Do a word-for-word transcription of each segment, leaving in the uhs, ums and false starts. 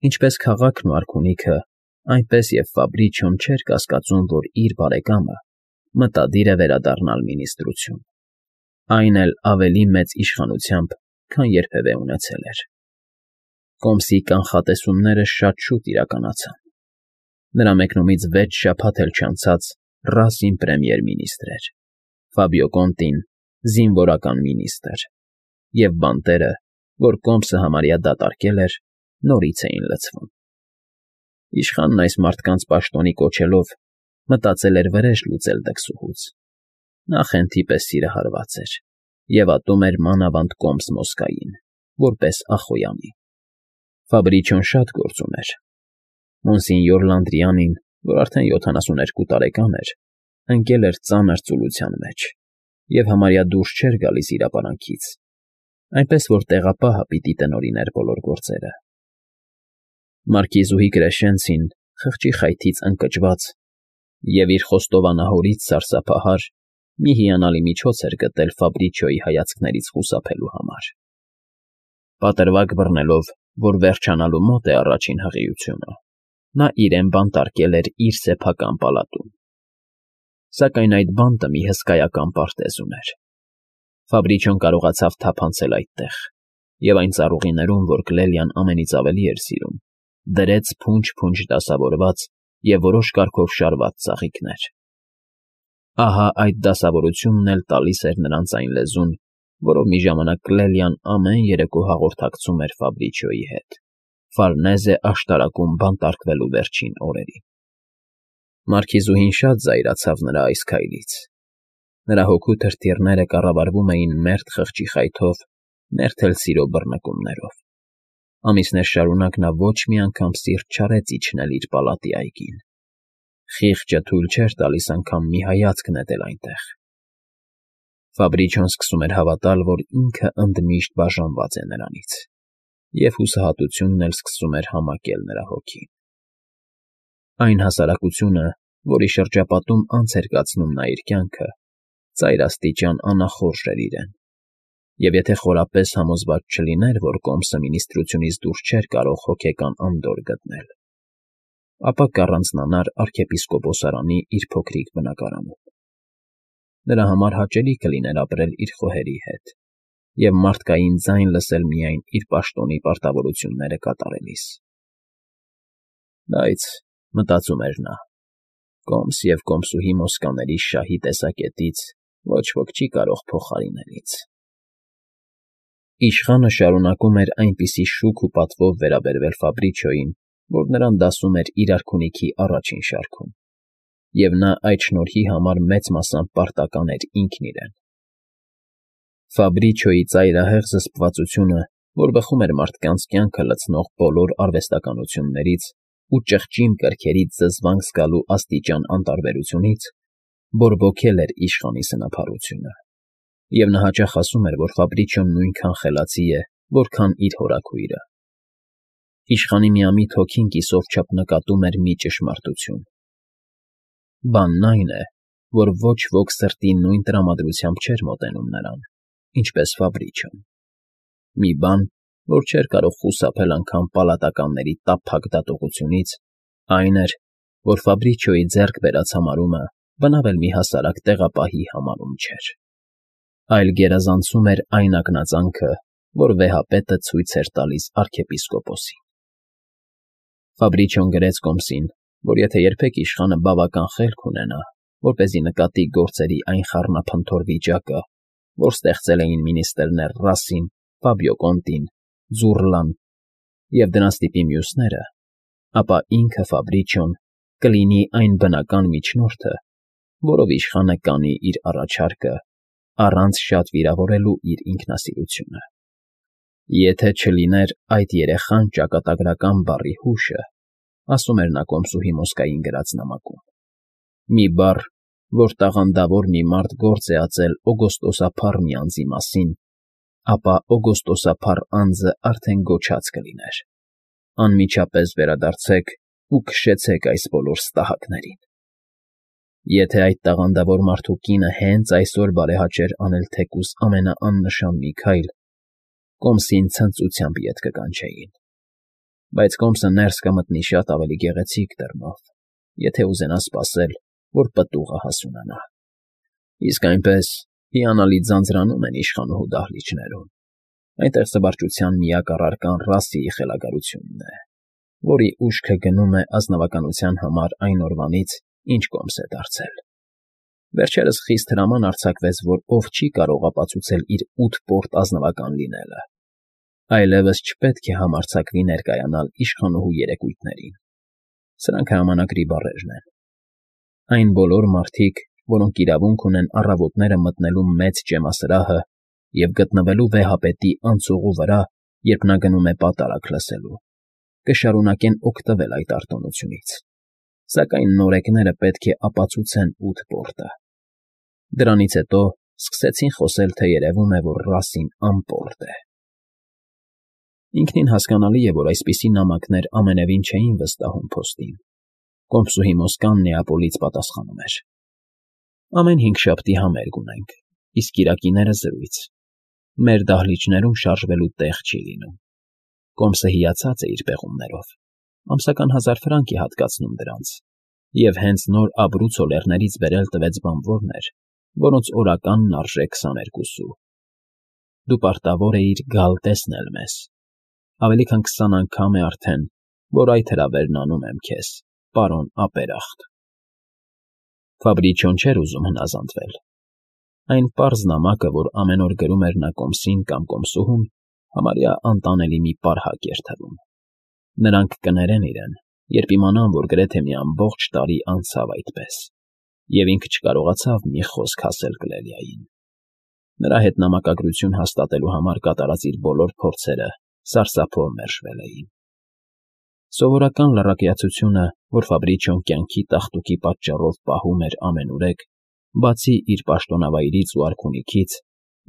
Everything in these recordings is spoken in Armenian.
Ինչպես քաղաքն ու արքունիքը, այնպես և Ֆաբրիչոն չէր կասկածում, որ իր բարեկամը մտադիր է վերադառնալ մինիստրություն, այն էլ ավելի մեծ իշխանությամբ, քան երբևէ ունեցել էր։ Կոմսի կանխատեսումները շատ շուտ իրականացան. նրա մեկնումից վեց շաբաթ էլ չանցած Ռասին պրեմիեր֊մինիստրր էր, Ֆաբիո Կոնտին զինվորական մինիստրր, և բանտերը, որ Կոմսը համարյա դատարկել էր, նորից էին լցվում։ Իշխանն այս մարդկանց պաշտոնի կոչելով մտածել էր վրեժ լուծել դքսուհուց։ Նա խենթի պես սիրահարված էր և ատում էր մանավանդ Կոմս֊Մոսկային, որպես Ախոյանի։ Ֆաբրիչոն շատ գործ ուներ։ Մոնսինյոր Լանդրիանին, որ արդեն յոթանասուներկու տարեկան էր, ընկել էր ծանր ծուլության մեջ և համարյա դուրս չէր գալիս իր ապարանքից, այնպես որ տեղապահը պիտի տնօրիներ բոլոր գործերը։ Մարկիզուհի Կրեշենցին, խղճի խայթից ընկճված և իր խոստովանահորից սարսափահար, մի հիանալի միջոց էր գտել Ֆաբրիչոյի հայացքներից խուսափելու համար։ Պատրվակ բռնելով, որ վերջանալու մոտ է առաջին հղիությունը, նա իրեն բանտարկել էր իր սեփական պալատում։ Սակայն այդ բանտը մի հսկայական պարտեզ ուներ։ Ֆաբրիչոն կարողացավ թափանցել այդտեղ և այն ծառուղիներում, որ Կլելիան ամենից ավելի էր սիրում, դրեց փունջ֊փունջ դասավորված և որոշ կարգով շարված ծաղիկներ։ Ահա այդ դասավորությունն էլ տալիս էր նրանց այն լեզուն, որով մի ժամանակ Կլելիան ամեն երեկո հաղորդակցում էր Ֆաբրիչոյի հետ, Ֆարնեզե աշտարակում բանտարկվելու վերջին օրերին։ Մարքիզուհին շատ զայրացավ նրա այս քայլից։ Նրա հոգու թրթիռները կառավարվում էին մերթ խղճի խայթով, մերթ էլ սիրո բռնկումներով։ Ամիսներ շարունակ նա ոչ մի անգամ սիրտ չարեց իջնել իր պալատի այգին։ Խիղճը թույլ չէր տալիս անգամ մի հայացք նետել այնտեղ։ Ֆաբրիչոն սկսում էր հավատալ, որ ինքը ընդմիշտ բաժանված է նրանից, և հուսահատությունն էլ սկսում էր համակել նրա հոգին։ Այն հասարակությունը, որի շրջապատում անց էր կացնում նա իր կյանքը, ծայրաստիճան անախորժ էր իրեն, և եթե խորապես համոզված չլիներ, որ Կոմսը մինիստրությունից դուրս չէր կարող հոգեկան անդորր գտնել, ապա կառանձնանար արքեպիսկոպոսարանի իր փոքրիկ բնակարանում։ Նրա համար հաճելի կլիներ ապրել իր խոհերի հետ և մարդկային ձայն լսել միայն իր պաշտոնի պարտավորությունները կատարելիս։ Բայց, մտածում էր նա, Կոմս և կոմսուհի Մոսկաների շահի տեսակետից ոչ ոք չի կարող փոխարինել ինձ։ Իշխանը շարունակում էր այնպիսի շուք ու պատվով վերաբերվել Ֆաբրիչոյին, որ նրան դասում էր իր արքունիքի առաջին շարքում, և նա այդ շնորհի համար մեծ մասամբ պարտական էր ինքն իրեն։ Ֆաբրիչոյի ծայրահեղ զսպվածությունը, որ բխում էր մարդկանց կյանքը լցնող բոլոր արվեստականություններից ու ճղճիմ կրքերից զզվանք զգալու աստիճան անտարբերությունից, բորբոքել էր իշխանի սնափառությունը, և նա հաճախ ասում էր, որ Ֆաբրիչոն նույնքան խելացի է, որքան իր հորաքույրը։ Իշխանի միամիտ հոգին կիսով չափ նկատում էր մի ճշմարտություն. բանն այն է, որ ոչ ոք սրտի նույն տրամադրությամբ չէր մոտենում նրան, ինչպես Ֆաբրիչոն։ Մի բան, որ չէր կարող խուսափել անգամ պալատականների տափակ դատողությունից, այն էր, որ Ֆաբրիչոյի ձեռք բերած համարումը բնավ էլ մի հասարակ տեղապահի համարում չէր, այլ գերազանցում էր այն ակնածանքը, որ վեհապետը ցույց էր տալիս արքեպիսկոպոսին։ Ֆաբրիչոն գրեց Կոմսին, որ եթե երբեք իշխանը բավական խելք ունենա, որպեսզի նկատի գործերի այն խառնափնթոր վիճակը, որ ստեղծել էին մինիստրներ Ռասին, Ֆաբիո Կոնտին, Ձուռլան և դրանց տիպի մյուսները, ապա ինքը Ֆաբրիչոն կլինի այն բնական միջնորդը, որով իշխանը կանի իր առաջարկը, առանց շատ վիրավորելու իր ինքնասիրությունը։ Եթե չլիներ այդ երեխան ճակատագրական բառի հուշը, ասում էր նա կոմսուհի Մոսկային գրած նամակում, մի բառ, որ տաղանդավոր մի մարդ գործ է ածել օգոստոսափառ մի անձի մասին, ապա օգոստոսափառ անձը արդեն գոչած կլիներ. անմիջապես վերադարձեք ու քշեցեք այս բոլոր ստահակներին։ Եթե այդ տաղանդավոր մարդու կինը հենց այսօր բարեհաճեր անել թեկուզ ամենաաննշան մի քայլ, Կոմսին ցնծությամբ ետ կկանչեին։ բայց կոմսը ներս կմտնի շատ ավելի գեղեցիկ դռնով, եթե ուզենա սպասել, որ պտուղը հասունանա։ Իսկ այնպես հիանալի ձանձրանում են իշխանուհու դահլիճներում, այնտեղ զվարճության միակ առարկան Ռասիի խելագարությունն է, որի ուշքը գնում է ազնվականության համար այն օրվանից, ինչ կոմս է դարձել։ Վերջերս խիստ հրաման արձակվեց, որ ով չի կարող ապացուցել իր ութ պորտ ազնվական լինելը, այլևս չպետք է համարձակվի ներկայանալ իշխանուհու երեկույթներին։ Սրանք հրամանագրի բառերն են։ Այն բոլոր մարդիկ, որոնք իրավունք ունեն առավոտները մտնելու մեծ ջեմասրահը և գտնվելու վեհապետի անցուղու վրա, երբ նա գնում է պատարագ լսելու, կշարունակեն օգտվել այդ արտոնությունից, սակայն նորեկները պետք է ապացուցեն ութ պորտը։ Դրանից հետո սկսեցին խոսել, թե երևում է, որ Ռասին անպորտ է։ Ինքնին հասկանալի է, որ այսպիսի նամակներ ամենևին չէին վստահում փոստին։ Կոմսուհի Մոսկան Նեապոլից պատասխանում էր. Ամեն հինգշաբթի համերգ ունենք, իսկ կիրակիները զրույց։ Մեր դահլիճներում շարժվելու տեղ չի լինում։ Կոմսը հիացած է իր պեղումներով, ամսական հազար ֆրանկ է հատկացնում դրանց, և հենց նոր Աբրուցո լեռներից բերել տվեց բանվորներ, որոնց օրականն արժե քսաներկու սու։ Դու պարտավոր էիր գալ տեսնել մեզ։ Ավելի քան քսան անգամ է արդեն, որ այդ հրավերն անում եմ քեզ, պարոն ապերախտ։ Ֆաբրիչոն չէր ուզում հնազանդվել։ Այն պարզ նամակը, որ ամեն օր գրում էր նա կոմսին կամ կոմսուհուն, համարյա անտանելի մի պարհակ էր թվում։ Նրանք կներեն իրեն, երբ իմանան, որ գրեթե մի ամբողջ տարի անցավ այդպես, և ինքը չկարողացավ մի խոսք ասել Կլելիային։ Նրա հետ նամակագրություն հաստատելու համար կատարած իր բոլոր փորձերը սարսափով մերժվել էին։ Սովորական լռակյացությունը, որ Ֆաբրիչոն կյանքի տաղտուկի պատճառով պահում էր ամենուրեք, բացի իր պաշտոնավայրից ու արքունիքից,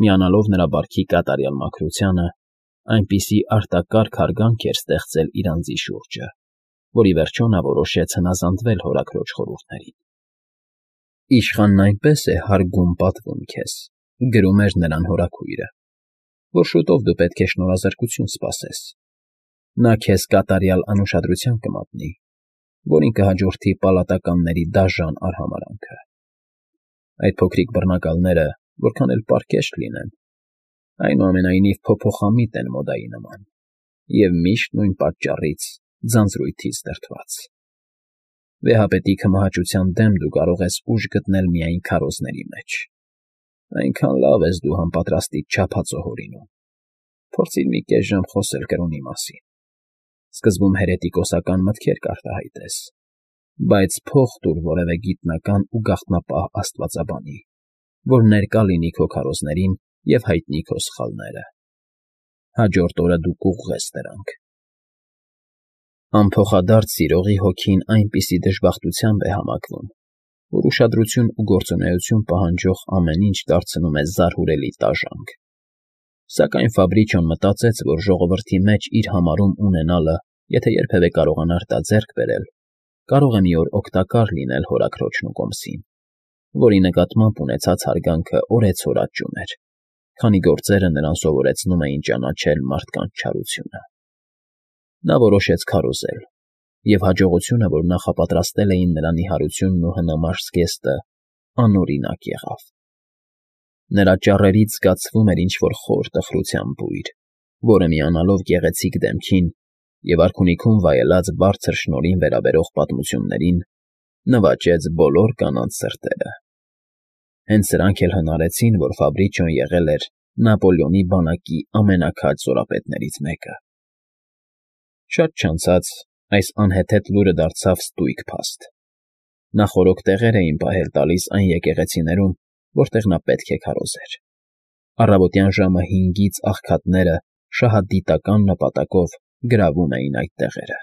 միանալով նրա բարքի կատարյալ մաքրությանը, այնպիսի արտակարգ հարգանք էր ստեղծել իր անձի շուրջը, որ ի վերջո նա որոշեց հնազանդվել հորաքրոջ խորհուրդներին։ Իշխանն այնպես է հարգում պատվում քեզ, գրում էր նրան հորաքույրը, որ շուտով դու պետք է շնորհազրկություն սպասես։ Նա քեզ կատարյալ անուշադրության կմատնի, որին կհաջորդի պալատականների դաժան արհամարհանքը։ Այդ փոքրիկ բռնակալները, որքան էլ պարկեշտ լինեն, այնուամենայնիվ փոփոխամիտ են մոդայի նման և միշտ նույն պատճառից ձանձրույթից դրդված։ Վեհապետի քմահաճության դեմ դու կարող ես ուժ գտնել միայն քարոզների մեջ։ Այնքան լավ ես դու համապատրաստիդ չափածո հորինում։ Փորձիր մի կես ժամ խոսել կրոնի մասին։ Սկզբում հերետիկոսական մտքեր կարտահայտես, բայց փող տուր որևէ գիտնական ու գաղտնապահ աստվածաբանի, որ ներկա լինի քո քարոզներին և հայտնի քո սխալները։ Հաջորդ օրը դու կուղղես դրանք։ Անփոխադարձ սիրողի հոգին այնպիսի դժբախտությամբ է համակվում, որ ուշադրություն ու գործունեություն պահանջող ամեն ինչ դարձնում է զարհուրելի տաժանք։ Սակայն Ֆաբրիչոն մտածեց, որ ժողովրդի մեջ իր համարում ունենալը, եթե երբևէ կարողանար դա ձեռք բերել, կարող է մի օր օգտակար լինել հորաքրոջն ու կոմսին, որի նկատմամբ ունեցած հարգանքը օրեցօր աճում էր, քանի գործերը նրան սովորեցնում էին ճանաչել մարդկանց չարությունը։ Նա որոշեց քարոզել, և հաջողությունը, որ նախապատրաստել էին նրա նիհարությունն ու հնամաշ զգեստը, անօրինակ եղավ։ Նրա ճառերից զգացվում էր ինչ֊որ խոր տխրության բույր, որը միանալով գեղեցիկ դեմքին և արքունիքում վայելած բարձր շնորհին վերաբերող պատմություններին, նվաճեց բոլոր կանանց սրտերը։ Հենց սրանք էլ հնարեցին, որ Ֆաբրիչոն եղել էր Նապոլեոնի բանակի ամենաքաջ զորապետներից մեկը։ Շատ չանցած այս անհեթեթ լուրը դարձավ ստույգ փաստ։ Նախօրոք տեղեր էին պահել տալիս այն եկեղեցիներում, որտեղ նա պետք է քարոզեր։ Առավոտյան ժամը հինգից աղքատները շահադիտական նպատակով գրավում էին այդ տեղերը։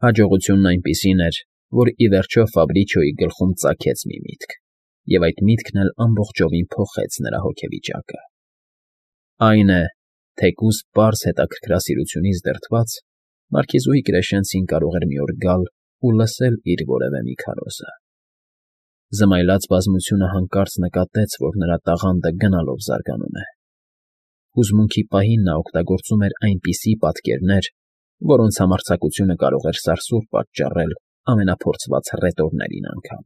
Հաջողությունն այնպիսին էր, որ ի վերջո Ֆաբրիչոյի գլխում ծագեց մի միտք, և այդ միտքն էլ ամբողջովին փոխեց նրա հոգեվիճակը։ Այն է, թեկուզ պարզ հետաքրքրասիրությունից դրդված, մարքիզուհի Կրեշենցին կարող էր մի օր գալ ու լսել իր որևէ մի քարոզը։ Զմայլած բազմությունը հանկարծ նկատեց, որ նրա տաղանդը գնալով զարգանում է։ Հուզմունքի պահին նա օգտագործում էր այնպիսի պատկերներ, որոնց համարձակությունը կարող էր սարսուռ պատճառել ամենափորձված հռետորներին անգամ։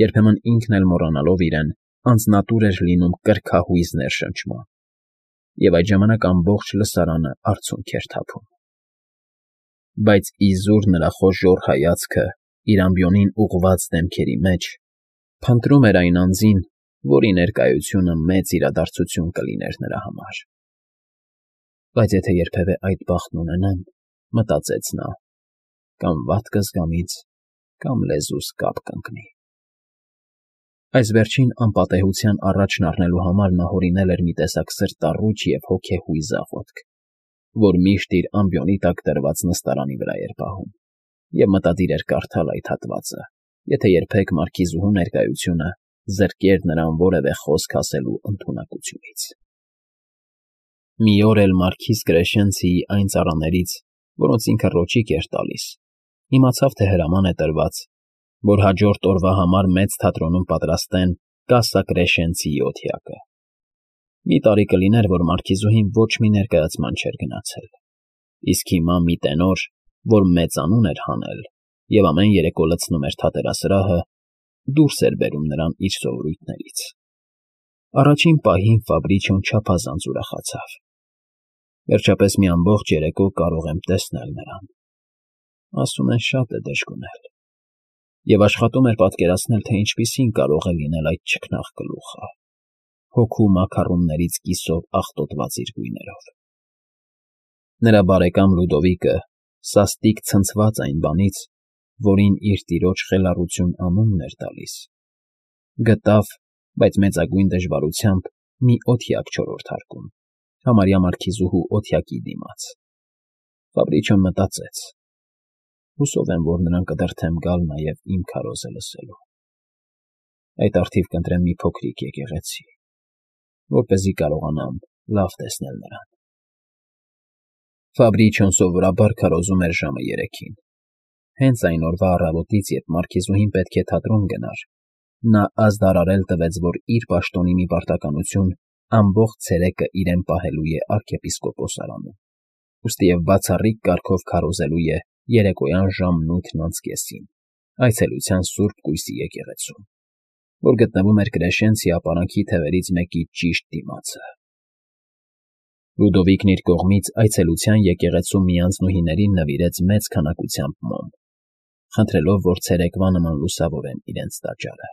Երբեմն ինքն էլ մոռանալով իրեն, անձնատուր էր լինում կրքահույզ ներշնչման, և այդ ժամանակ ամբողջ լսարանը արցունք էր թափում։ Բայց իզուր նրա խոժոռ հայացքը իր ամբիոնին ուղղված դեմքերի մեջ փնտրում էր այն անձին, որի ներկայությունը մեծ իրադարձություն կլիներ նրա համար։ Բայց եթե երբևէ այդ բախտն ունենամ, մտածեց նա, կամ վատ կզգամ ինձ, կամ լեզուս կապ կընկնի։ Այս վերջին անպատեհության առաջն առնելու համար նա հորինել էր մի տեսակ սրտառուչ և հոգեհույզ աղոթք, որ միշտ իր ամբիոնի տակ դրված նստարանի վրա էր պահում, և մտադիր էր կարդալ այդ հատվածը, եթե երբեք մարքիզուհու ներկայությունը զրկեր նրան որևէ խոսք ասելու ընդունակությունից։ Մի օր էլ մարքիզ Կրեշենցիի այն ծառաներից, որոնց ինքը ռոճիկ էր տալիս, իմացավ, թե հրաման է տրված, որ հաջորդ օրվա համար մեծ թատրոնում պատրաստեն Կասա Կրեշենցիի օթյակը։ Մի տարի կլիներ, որ մարքիզուհին ոչ մի ներկայացման չէր գնացել, իսկ հիմա մի տենոր, որ մեծանուն էր հանել և ամեն երեկո լցնում էր թատերասրահը, դուրս էր բերում նրան իր սովորույթներից։ Առաջին պահին Ֆաբրիչոն չափազանց ուրախացավ։ Վերջապես մի ամբողջ երեկո կարող եմ տեսնել նրան։ Ասում են, շատ է դժգույն։ Եվ աշխատում էր պատկերացնել, թե ինչպիսին կարող է լինել այդ չքնաղ գլուխը, հոգու մաքառումներից կիսով աղտոտված իր գույներով։ Նրա բարեկամ Լյուդովիկը սաստիկ ցնցված այն բանից, որին իր տիրոջ խելառություն անունն էր տալիս, գտավ, բայց մեծագույն դժվարությամբ, մի օթյակ չորրորդարկում, համարյա մարքիզուհու օթյակի դիմաց։ Ֆաբրիչոն մտածեց. հուսով եմ, որ նրան կդրդեմ գալ նաև իմ քարոզը լսելու։ Այդ առթիվ կընտրեմ մի փոքրիկ եկեղեցի, որպեսզի կարողանամ լավ տեսնել նրան։ Ֆաբրիչոն սովորաբար քարոզում էր ժամը երեքին։ Հենց այն օրվա առավոտից, երբ մարքիզուհին պետք է թատրոն գնար, նա ազդարարել տվեց, որ իր պաշտոնի մի պարտականություն ամբողջ ցերեկը իրեն պահելու է արքեպիսկոպոսարանում, ուստիև բացառիկ կարգով քարոզելու է երեկոյան ժամն ութն անց կեսին այցելության Սուրբ Կույսի եկեղեցում, որ գտնվում էր Կրեշենցի ապարանքի թևերից մեկի ճիշտ դիմացը։ Լյուդովիկն իր կողմից այցելության եկեղեցու միանձնուհիներին նվիրեց մեծ քանակությամբ մոմ, խնդրելով, որ ցերեկվա նման լուսավորեն իրենց տաճարը։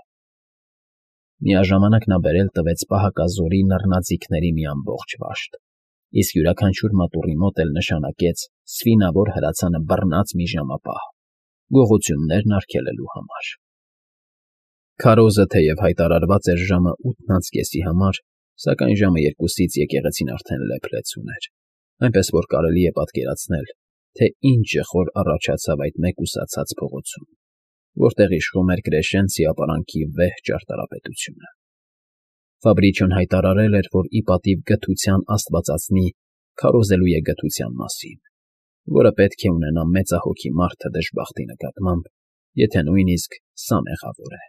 Միաժամանակ նա բերել տվեց պահակազորի նռնաձիգների մի ամբողջ վաշտ, իսկ յուրաքանչյուր մատուռի մոտ էլ նշանակեց սվինավոր հրացանը բռնած մի ժամապահ, գողություններն արգելելու համար։ Քարոզը թեև հայտարարված էր ժամը ութն անց կեսի համար, սակայն ժամը երկուսից եկեղեցին արդեն լեփ-լեցուն էր, այնպես որ կարելի է պատկերացնել, թե ինչ ժխոր առաջացավ այդ մեկուսացած փողոցում, որտեղ իշխում էր Կրեշենցի ապարանքի վեհ ճարտարապետությունը։ Ֆաբրիչոն հայտարարել էր, որ ի պատիվ գթության աստվածածնի քարոզելու է գթության մասին, որը պետք է ունենա մեծահոգի մարդը դժբախտի նկատմամբ, եթե նույնիսկ սա մեղավոր է։